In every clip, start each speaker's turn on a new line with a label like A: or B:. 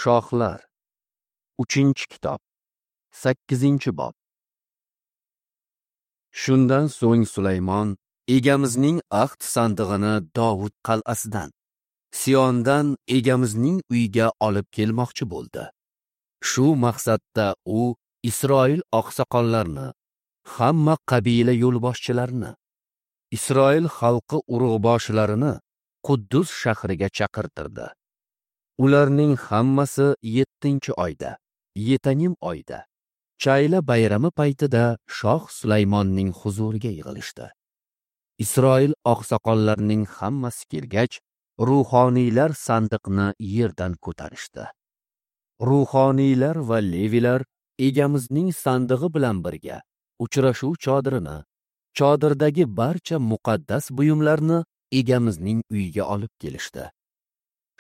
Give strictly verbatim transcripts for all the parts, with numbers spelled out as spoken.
A: Shohlar, uchinchi kitob, sakkizinchi bob. Shundan so'ng Sulaymon Egamizning ahd sandig'ini Dovud qal'asidan, Siyondan Egamizning uyiga olib kelmoqchi bo'ldi. Shu maqsadda u Isroil oqsoqollarini, hamma qabila yo'lboshchilarini, Isroil xalqi urug'boshilarini Quddus shahriga chaqirtirdi. Ularning hammasi yettinchi oyda, Yetanim oyda, Chayla bayrami paytida shoh Sulaymonning huzuriga yig'ilishdi. Isroil oqsoqollarining hammasi kelgach, ruhoniylar sandiqni yerdan ko'tarishdi. Ruhoniylar va levilar Egamizning sandig'i bilan birga uchrashuv chodirini, chodirdagi barcha muqaddas buyumlarni Egamizning uyiga olib kelishdi.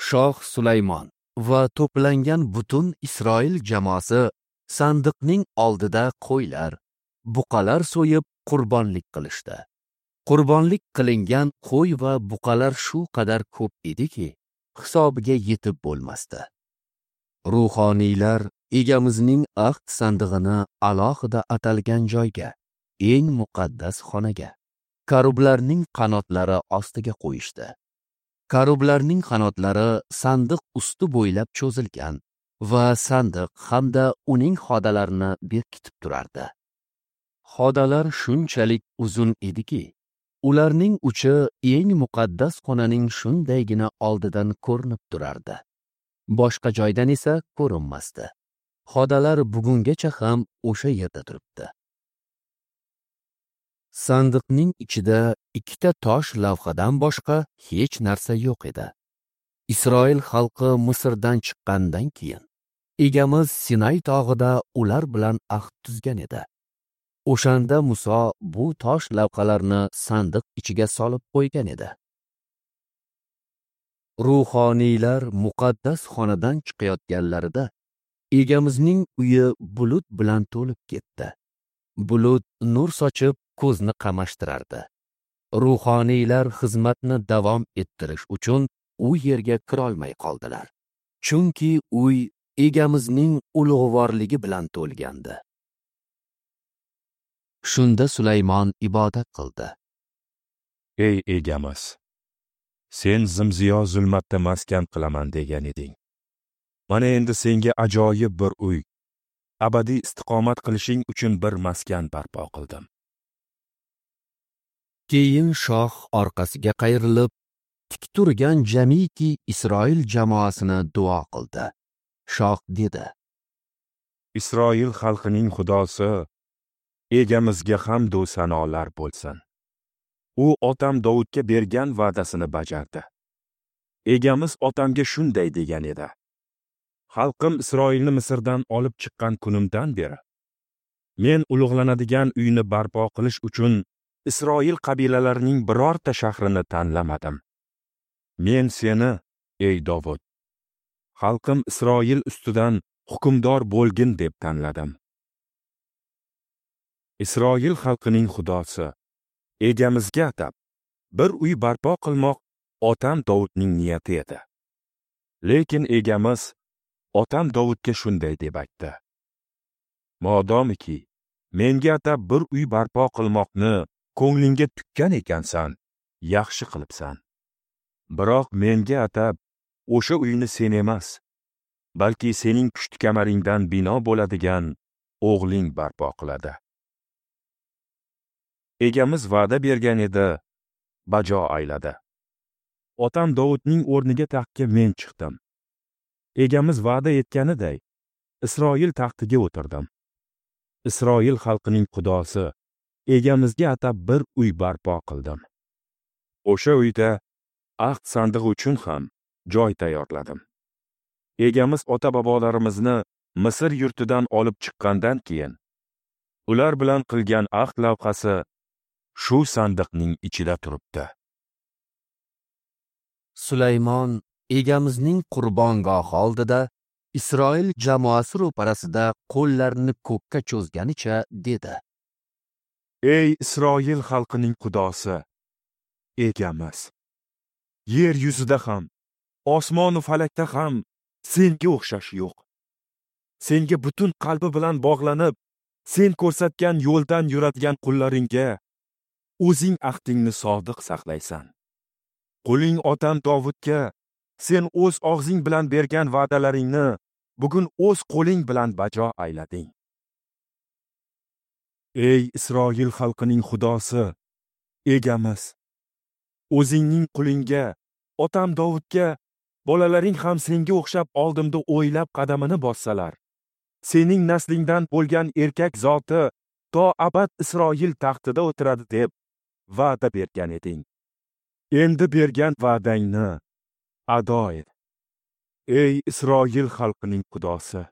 A: Shoh Sulaymon va to'plangan butun Isroil jamoasi sandiqning oldida qo'ylar, buqalar so'yib qurbonlik qilishdi. Qurbonlik qilingan qo'y va buqalar shu qadar ko'p ediki, hisobiga yetib bo'lmasdi. Ruhoniylar Egamizning ahd sandig'ini alohida atalgan joyga, eng muqaddas xonaga, karublarning qanotlari ostiga qo'yishdi. Karublarning qanotlari sandiq usti bo'ylab cho'zilgan va sandiq hamda uning xodalarini berkitib turardi. Xodalar shunchalik uzun ediki, ularning uchi eng muqaddas xonaning shundaygina oldidan ko'rinib turardi. Boshqa joydan esa ko'rinmasdi. Xodalar bugungacha ham o'sha yerda turibdi. Sandiqning ichida ikkita tosh lavhadan boshqa hech narsa yo'q edi. Isroil xalqi Misrdan chiqqandan keyin Egamiz Sinay tog'ida ular bilan ahd tuzgan edi. O'shanda Muso bu tosh lavhalarni sandiq ichiga solib qo'ygan edi. Ruhoniylar muqaddas xonadan chiqayotganlarida Egamizning uyi bulut bilan to'lib ketdi. Bulut nur sochib ko'zni qamashtirardi. Ruhoniylar xizmatni davom ettirish uchun u yerga kirolmay qoldilar. Chunki uy Egamizning ulug'vorligi bilan to'lgandi. Shunda Sulaymon ibodat qildi.
B: Ey Egamiz, sen zimziyo zulmatda maskan qilaman degan eding. Mana endi senga ajoyib bir uy, abadiy istiqomat qilishing uchun bir maskan barpo qildim.
A: Keyin shoh orqasiga qayrilib, tik turgan jamiki Isroil jamoasini duo qildi. Shoh dedi:
B: Isroil xalqining Xudosi Egamizga hamd va sanolar bo'lsin. U otam Dovudga bergan va'dasini bajardi. Egamiz otamga shunday degan edi: Xalqim Isroilni Misrdan olib chiqqan kunimdan beri men ulug'lanadigan uyni barpo qilish uchun Isroil qabilalarining birorta shahrini tanlamadim. Men seni, ey Dovud, xalqim Isroil ustidan hukmdor bo'lgin deb tanladim. Isroil xalqining Xudosi Egamizga atab bir uy barpo qilmoq otam Dovudning niyati edi. Lekin Egamiz otam Dovudga shunday deb aytdi: Modomiki menga atab bir uy barpo qilmoqni ko'nglingga tukkan ekansan, yaxshi qilibsan. Biroq menga atab o'sha uyni sen emas, balki sening pushti kamaringdan bino bo'ladigan o'g'ling barpo qiladi. Egamiz va'da bergan edi, bajo ayladi. Otam Dovudning o'rniga taxtga men chiqdim. Egamiz va'da etganiday Isroil taxtiga o'tirdim. Isroil xalqining Xudosi Egamizga atab bir uy barpo qildim. O'sha uyda ahd sandig'i uchun ham joy tayyorladim. Egamiz ota-bobolarimizni Misr yurtidan olib chiqqandan keyin ular bilan qilgan ahd lavhasi shu sandiqning ichida turibdi.
A: Sulaymon Egamizning qurbongohi oldida Isroil jamoasi ro'parasida qo'llarini ko'kka cho'zganicha dedi:
B: Ey Isroil xalqining Xudosi, Egamiz, yer yuzida ham, osmon va falakda ham senga o'xshash yo'q. Senga butun qalbi bilan bog'lanib, sen ko'rsatgan yo'ldan yuradigan qullaringga o'zing ahdingni sodiq saqlaysan. Quling otam Dovudga sen o'z og'zing bilan bergan va'dalaringni bugun o'z qo'ling bilan bajo aylading. Ey Isroil xalqining Xudosi, Egamiz, o'zingning qulingga, otam Dovudga bolalaring ham senga o'xshab oldimda o'ylab qadamini bossalar, sening naslingdan bo'lgan erkak zoti to abad Isroil taxtida o'tiradi deb va'da bergan eding. Endi bergan va'dangni ado et. Ey Isroil xalqining Xudosi,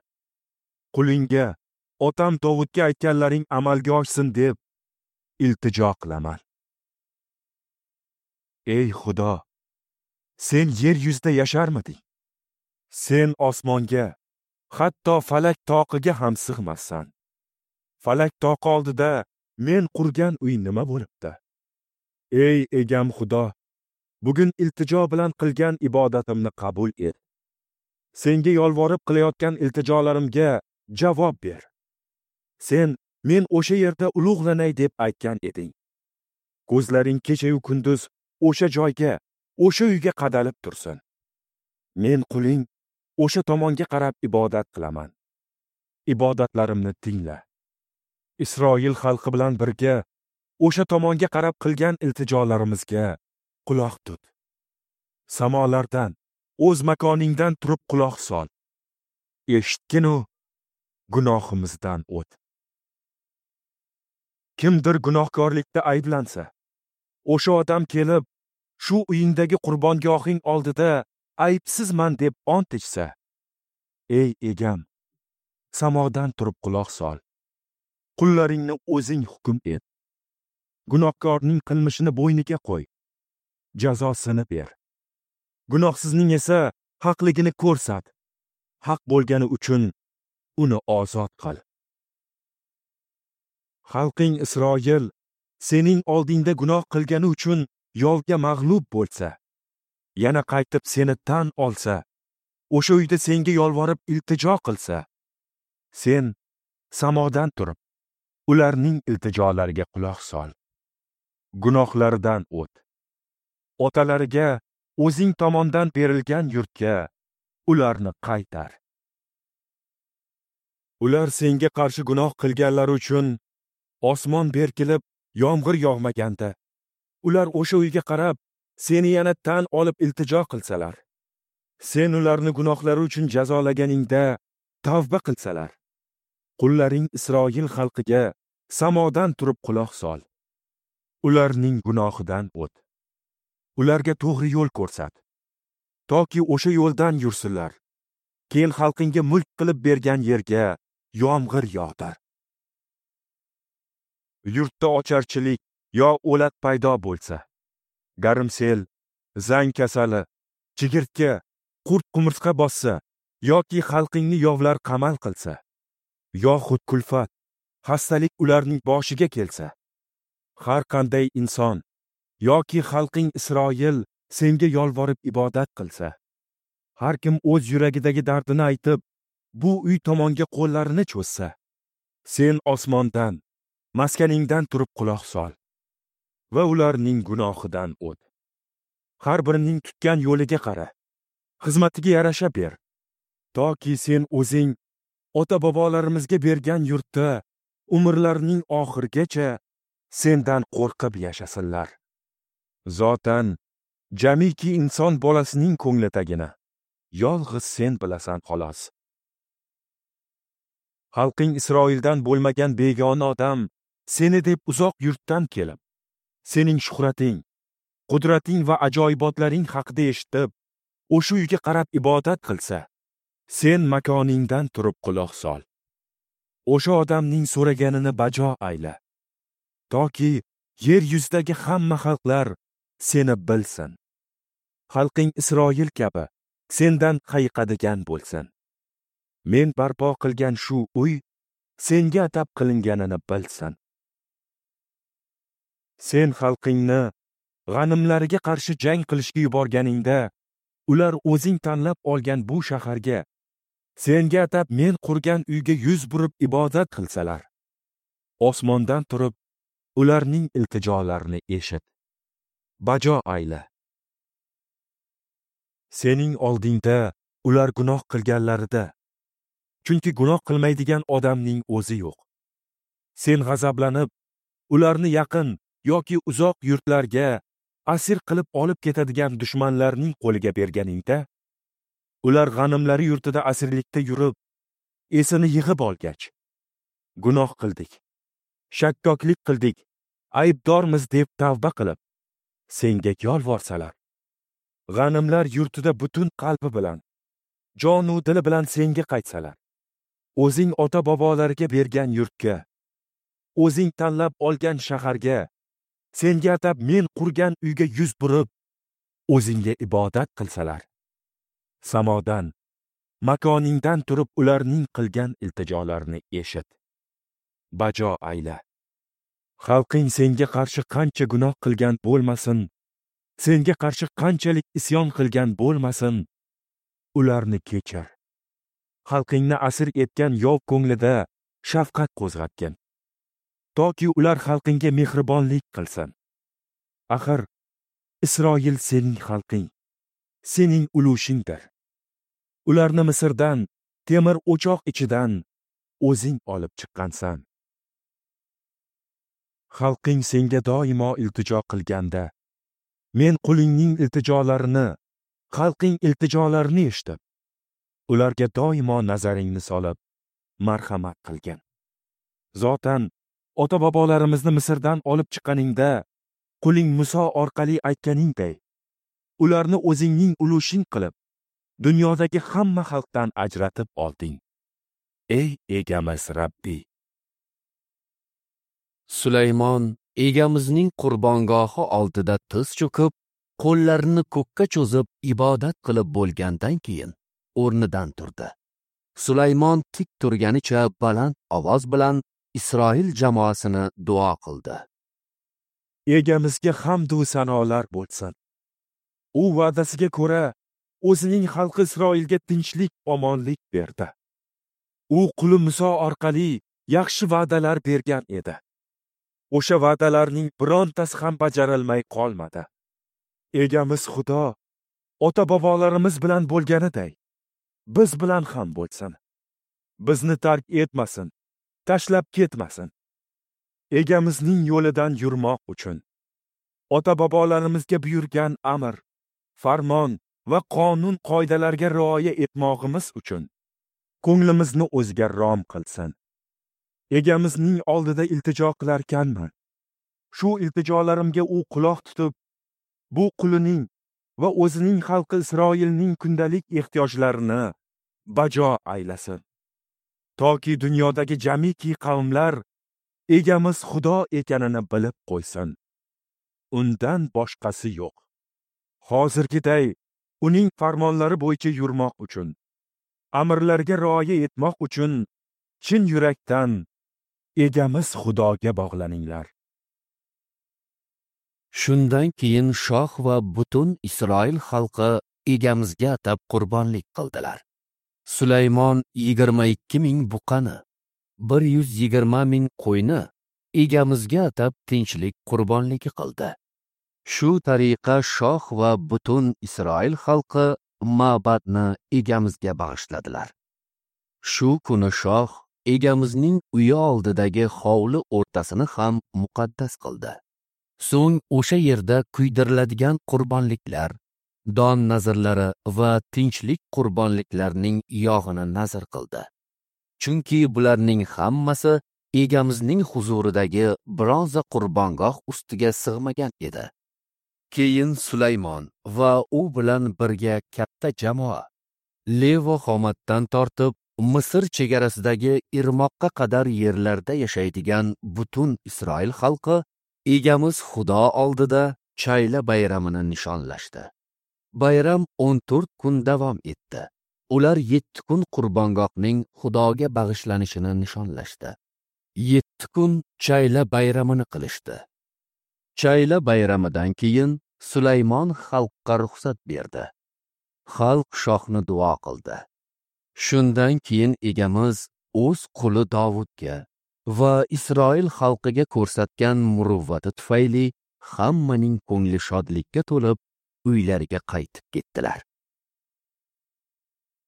B: qulingga, otam Dovudga aytganlaring amalga oshsin deb iltijo qilaman. Ey Xudo, sen yer yuzida yasharmiding? Sen osmonga, hatto falak toqiga ham sig'massan. Falak toqi oldida men qurgan uy nima bo'libdi? Ey egam Xudo, bugun iltijo bilan qilgan ibodatimni qabul et. Senga yolvorib qilayotgan iltijolarimga javob ber. Sen men o'sha yerda ulug'lanay deb aytgan eding. Ko'zlaring kecha-yu kunduz o'sha joyga, o'sha uyga qadalib tursin. Men quling o'sha tomonga qarab ibodat qilaman. Ibodatlarimni tingla. Isroil xalqi bilan birga o'sha tomonga qarab qilgan iltijolarimizga quloq tut. Samolardan, o'z makoningdan turib quloq sol. Eshitgin-u gunohimizdan o't. Kimdir gunohkorlikda ayblansa, o'sha odam kelib shu uyingdagi qurbongohing oldida aybsizman deb ont ichsa, ey egam, samodan turib quloq sol. Qullaringni o'zing hukm et. Gunohkorning qilmishini bo'yniga qo'y, jazosini ber. Gunohsizning esa haqligini ko'rsat. Haq bo'lgani uchun uni ozod qil. Xalqing Isroil sening oldingda gunoh qilgani uchun yovga mag'lub bo'lsa, yana qaytib seni tan olsa, o'sha uyda senga yolvorib iltijo qilsa, sen samodan turib ularning iltijolariga quloq sol. Gunohlaridan o't. Otalariga o'zing tomondan berilgan yurtga ularni qaytar. Ular senga qarshi gunoh qilganlari uchun osmon berkilib yomg'ir yog'maganda, ular o'sha uyga qarab seni yana tan olib iltijo qilsalar, sen ularni gunohlari uchun jazolaganingda tavba qilsalar, qullaring Isroil xalqiga samodan turib quloq sol. Ularning gunohidan o't. Ularga to'g'ri yo'l ko'rsat, toki o'sha yo'ldan yursinlar. Keyin xalqingga mulk qilib bergan yerga yomg'ir yog'dir. Yurtda ocharchilik yo o'lat paydo bo'lsa, garimsel, zang kasali, chigirtka, qurt qumursqa bossa yoki xalqingni yovlar qamal qilsa, yoxud kulfat, xastalik ularning boshiga kelsa, har qanday inson yoki xalqing Isroil senga yolvorib ibodat qilsa, har kim o'z yuragidagi dardini aytib, bu uy tomonga qo'llarini cho'zsa, sen osmondan, maskaningdan turib quloq sol va ularning gunohidan o't. Har birining tutgan yo'liga qara, xizmatiga yarasha ber, toki sen o'zing ota-bobolarimizga bergan yurtda umrlarining oxirigacha sendan qo'rqib yashasinlar. Zotan, jamiki inson bolasining ko'nglidagini yolg'iz sen bilasan xolos. Xalqing Isroildan bo'lmagan begona odam seni deb uzoq yurtdan kelib, sening shuhrating, qudrating va ajoyibotlaring haqida eshitib, o'sha uyga qarab ibodat qilsa, sen makoningdan turib quloq sol. O'sha odamning so'raganini bajo ayla, toki yer yuzidagi hamma xalqlar seni bilsin. Xalqing Isroil kabi sendan hayiqadigan bo'lsin. Men barpo qilgan shu uy senga atab qilinganini bilsin. Sen xalqingni g'animlariga qarshi jang qilishga yuborganingda, ular o'zing tanlab olgan bu shaharga, senga atab men qurgan uyga yuz burib ibodat qilsalar, osmondan turib ularning iltijolarini eshit, bajo ayla. Sening oldingda ular gunoh qilganlarida, chunki gunoh qilmaydigan odamning o'zi yo'q, sen g'azablanib ularni yaqin yoki uzoq yurtlarga asir qilib olib ketadigan dushmanlarning qo'liga berganingda, ular g'animlari yurtida asirlikda yurib, esini yig'ib olgach, gunoh qildik, shakkoklik qildik, aybdormiz deb tavba qilib, senga yolvorsalar, g'animlar yurtida butun qalbi bilan, jonu dili bilan senga qaytsalar, o'zing ota-bobolariga bergan yurtga, o'zing tanlab olgan shaharga, senga atab men qurgan uyga yuz burib, o'zingga ibodat qilsalar, samodan, makoningdan turib ularning qilgan iltijolarini eshit, bajo ayla. Xalqing senga qarshi qancha gunoh qilgan bo'lmasin, senga qarshi qanchalik isyon qilgan bo'lmasin, ularni kechir. Xalqingni asir etgan yov ko'nglida shafqat qo'zg'atgin, toki ular xalqingga mehribonlik qilsin. Axir Isroil sening xalqing, sening ulushingdir. Ularni Misrdan, temir o'choq ichidan o'zing olib chiqqansan. Xalqing senga doimo iltijo qilganda, men qulingning iltijolarini, xalqing iltijolarini eshitib, ularga doimo nazaringni solib, marhamat qilgin. Zotan ota-bobolarimizni Misrdan olib chiqqaningda, quling Muso orqali aytganingday, ularni o'zingning ulushing qilib, dunyodagi hamma xalqdan ajratib olding. Ey Egamiz Rabbi!
A: Sulaymon Egamizning qurbongohi oldida tiz cho'kib, qo'llarini ko'kka cho'zib ibodat qilib bo'lgandan keyin o'rnidan turdi. Sulaymon tik turganicha baland ovoz bilan Isroil jamoasini duo qildi.
B: Egamizga hamd va sanolar bo'lsin. U va'dasiga ko'ra o'zining xalqi Isroilga tinchlik, omonlik berdi. U quli Muso orqali yaxshi va'dalar bergan edi. O'sha va'dalarning birontasi ham bajarilmay qolmadi. Egamiz Xudo ota-bobolarimiz bilan bo'lganiday, biz bilan ham bo'lsin. Bizni tark etmasin, tashlab ketmasin. Egamizning yo'lidan yurmoq uchun ota-bobolarimizga buyurgan amr, farmon va qonun qoidalarga rioya etmog'imiz uchun ko'nglimizni o'ziga rom qilsin. Egamizning oldida iltijo qilarkanman, shu iltijolarimga u quloq tutib, bu qulining va o'zining xalqi Isroilning kundalik ehtiyojlarini bajo aylasin. Toki dunyodagi jamiki qavmlar Egamiz Xudo ekanini bilib qo'ysin. Undan boshqasi yo'q. Hozirgiday uning farmonlari bo'yicha yurmoq uchun, amrlarga rioya etmoq uchun chin yurakdan Egamiz Xudoga bog'laninglar.
A: Shundan keyin shoh va butun Isroil xalqi Egamizga atab qurbonlik qildilar. Sulaymon yigirma ikki ming buqani, bir yuz yigirma ming qo'yni Egamizga atab tinchlik qurbonligi qildi. Shu tariqa shoh va butun Isroil xalqi ma'badni Egamizga bag'ishladilar. Shu kuni shoh Egamizning uyi oldidagi hovli o'rtasini ham muqaddas qildi. So'ng o'sha yerda kuydiriladigan qurbonliklar, don nazrlari va tinchlik qurbonliklarining yog'ini nazr qildi. Chunki bularning hammasi Egamizning huzuridagi bronza qurbongoh ustiga sig'magan edi. Keyin Sulaymon va u bilan birga katta jamoa Levo Xomatdan tortib Misr chegarasidagi Irmoqqa qadar yerlarda yashaydigan butun Isroil xalqi Egamiz Xudo oldida Chayla bayramini nishonlashdi. Bayram o'n to'rt kun davom etdi. Ular yetti kun qurbongohning Xudoga bag'ishlanishini nishonlashdi. Yetti kun Chayla bayramini qilishdi. Chayla bayramidan keyin Sulaymon xalqqa ruxsat berdi. Xalq shohni duo qildi. Shundan keyin Egamiz o'z quli Dovudga va Isroil xalqiga ko'rsatgan muruvvati tufayli hammaning ko'ngli shodlikka to'lib, uylariga qaytib ketdilar.